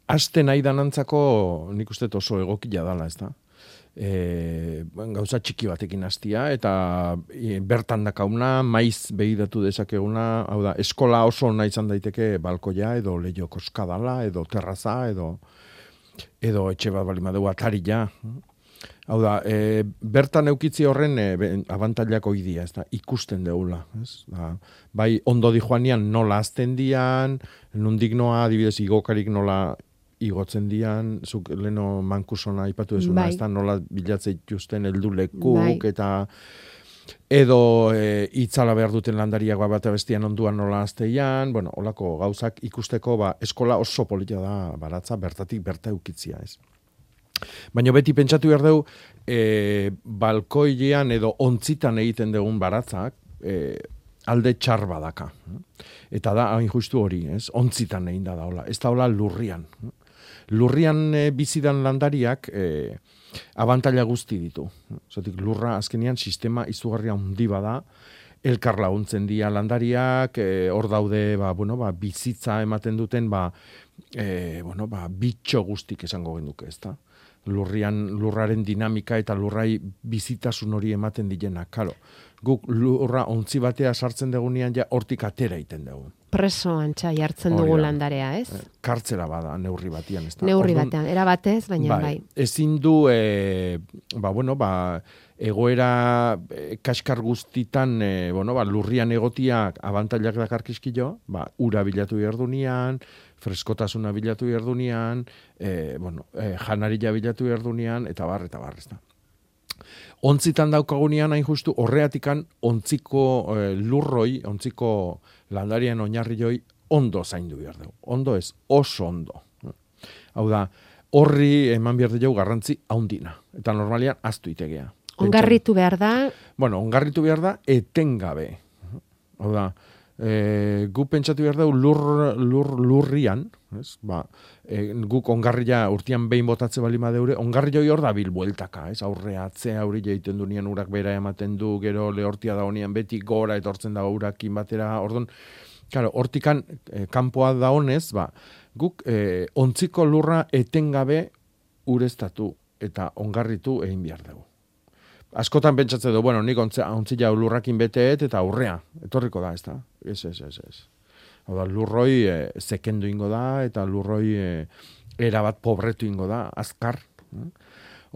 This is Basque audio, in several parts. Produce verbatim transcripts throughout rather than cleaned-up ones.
aste nahi danantzako nik uste oso egokia dala, ez da? E, gauza txiki batekin hastia eta e, bertan dakauna, maiz behidatu dezakeguna, hau da, eskola oso ona izan daiteke balkoia edo leio koskadala, edo terraza, edo edo etxe bat bali madeu ataria. Hau da, e, bertan eukitzi horren e, abantailak oidia, ez da, ikusten deula. Ez? Da, bai, ondo di joanian nola azten dian, nundik noa, adibidez, igokarik nola igotzen dian, zuk leno mankusona ipatu dezuna, bai. Ez da, nola bilatzea ituzten heldu lekuk, bai. Eta edo e, itzala behar duten landariak bat bestian onduan nola azteian, bueno, olako gauzak ikusteko, ba, eskola oso polita da baratza, bertatik berta eukitzia, ez. Baina beti pentsatu behar dugu, e, balkoilean edo ontzitan egiten dugun baratzak, e, alde txar badaka. Eta da, hain justu hori, ez? Ontzitan egin da da, hola. Ez da hola lurrian. Lurrian e, bizidan landariak e, abantaila guzti ditu. Zotik, lurra azkenean sistema izugarria handi bada, elkar laguntzen dira landariak, e, hor daude, ba, bueno, ba, bizitza ematen duten, ba, e, bueno, ba, bitxo guztik esango genduke, ez da? Lurrian, lurraren dinamika eta lurrai bizitasun hori ematen dilena, karo. Guk lurra ontzi batea sartzen degunean ja hortik atera iten dugu. Preso antxa jartzen dugu landarea, ez? Kartzera bada, neurri batian, ez da? Neurri batean, era batez, baina bai. bai. Ezin du, e, ba, bueno, ba, egoera e, kaskar guztitan, e, bueno, ba, lurrian egotiak abantailak dakarkizkio, ba, ura bilatu behar dunean, freskotasuna bilatu behar dunean, e, bueno, e, janaria bilatu behar dunean, eta bar, eta bar, ez da. Ontzitan daukagunean, hain justu, horreatikan ontziko e, lurroi, ontziko landarien oinarrioi ondo zaindu behar dugu. Ondo ez, oso ondo. Hau da, horri eman behar dugu garrantzi haundina. Eta normalian, aztu itegea. Ongarritu behar da? Bueno, ongarritu behar da, etengabe. Hau da, e, gu pentsatu behar dugu lur, lur, lurrian, ez? Ba, e, guk ongarria urtean behin botatze bali madeure, ongarri hor da bilbueltaka, ez? Aurre atzea hori jaiten du nian urak bera ematen du, gero lehortia da honian beti gora etortzen da urakin batera, orduan, claro, hortikan e, kanpoa da honez, ba, guk e, ontziko lurra etengabe ureztatu eta ongarritu egin behar dugu. Askotan pentsatzen du, bueno, nik ontzila lurrakin beteet eta aurrea, etorriko da, ez da? Ez, ez, ez, ez. Hau da, lurroi e, zekendu ingo da, eta lurroi e, erabat pobretu ingo da, azkar.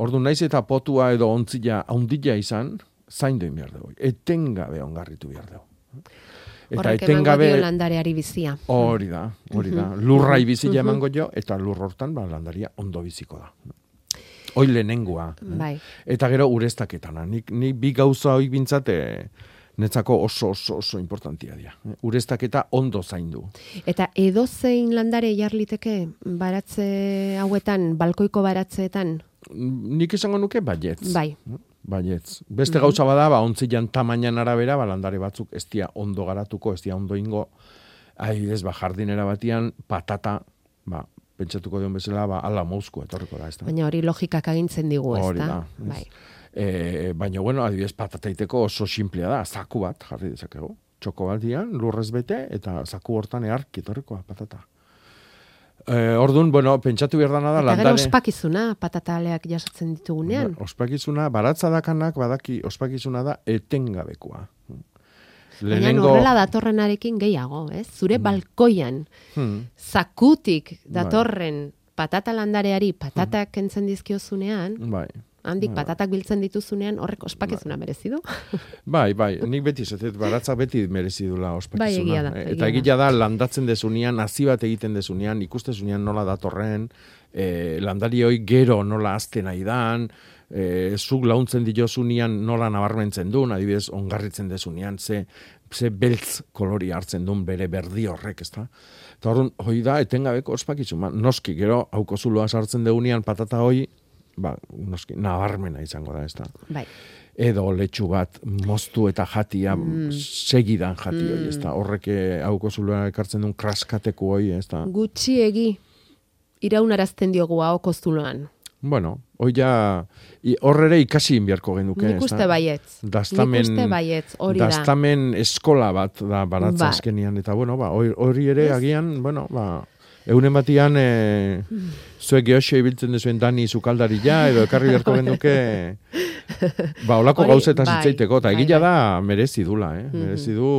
Ordu naiz eta potua edo ontzila haundila izan, zaindu in behar dugu. Etengabe ongarritu behar dugu. Horrek emango dio landareari bizia. Hori da, hori da. Lurrai bizia emango jo, eta lur hortan ba, landaria ondo biziko da. Hoi lehenengoa. Bai. Eta gero ureztaketana. Nik, nik bi gauza hoi bintzate netzako oso oso oso importantia dira. Ureztaketa ondo zaindu. Eta edozein landare jarliteke baratze hauetan, balkoiko baratzeetan? Nik esango nuke baietz. Bai. Baietz. Beste mm-hmm. gauza bada, ba, ontzilan tamainan arabera, ba, landare batzuk ez dia ondo garatuko, ez dia ondo ingo, adibidez, ba, jardinera batian, patata, ba, pentsatuko dion bezala, ba, ala mouzku etorriko da, ez da. Baina hori logikak agintzen digu, ez da? Hori da. Bai. E, baina, bueno, adibidez, patataiteko oso simplea da, zaku bat, jarri dezakegu. Txoko baldian, lurrez bete, eta zaku hortan eark etorrikoa, patata. E, orduan, bueno, pentsatu behar dana da, eta landare... gero ospakizuna, patataleak jasotzen ditugunean. Ba, ospakizuna, baratza dakanak, badaki, ospakizuna da etengabekoa. Lehenengo... Baina horrela datorrenarekin gehiago, ez? Zure hmm. balkoian, hmm. zakutik datorren patata landareari patatak hmm. kentzen dizkiozunean, bai. handik bai. Patatak biltzen dituzunean, horrek ospakizuna bai. Merezi du? Bai, bai, nik beti zetet, baratza beti merezi dula ospakizuna. Bai, egia da. Eta egia da, landatzen dezunean, hazi bat egiten dezunean, ikustezunean nola datorren, eh, landarioi gero nola azten nahi dan, E, zuk launtzen diozunean nola nabarmentzen duen, adibidez, ongarritzen dezunean, ze, ze beltz kolori hartzen duen bere berdi horrek, ez da? Eta horren, hoi da, etengabeko ospakizun, ba, noski, gero, hauko zuloa sartzen deunean patata hoi, ba, noski, nabarmena izango da, ez da? Bai. Edo letxu bat moztu eta jatia mm. segidan jati hoi, ez da? Horrek hauko zuloa ekartzen duen kraskateko hoi, ez da? Gutxiegi iraunarazten diogu hauko zuloan. Bueno, hoi ja, horre ere ikasi inbiarko genuke. Nik uste baietz. Dastamen, Nik uste baietz, hori da. Dastamen eskola bat da baratza ba. azkenian. Eta bueno, ba, hori ere ez? Agian, bueno, ba, Eunen batian, e, zuek gehoxo ibiltzen dezuen Dani Zukaldaria, edo ekarri beharko genduke, ba, olako gauzetan zitzeiteko, eta egila da merezi dula, eh? Merezi du,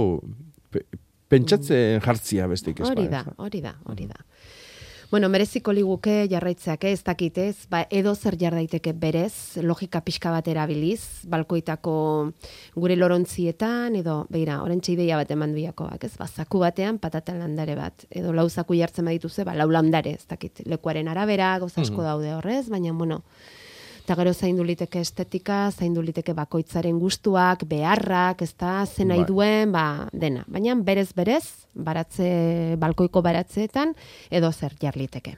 pe, pentsatzen jartzia bestik ez. Hori da, hori da, hori da. Bueno, mereziko liguke jarraitzeak ez dakitez, ba, edo zer jar daiteke berez, logika pixka bat erabiliz, balkoitako gure lorontzietan, edo, beira, orentxe ideia bat eman duiakoak, ez, ba, zaku batean patata landare bat, edo lau zaku jartzen badituze, ba, lau landare, ez dakit, lekuaren arabera, gauza asko daude horrez, baina, bueno, eta gero zaindu liteke estetika, zaindu liteke bakoitzaren gustuak, beharrak, ez da, zen nahi duen, ba, dena. Baina berez-berez, baratze, balkoiko baratzeetan, edo zer jar liteke.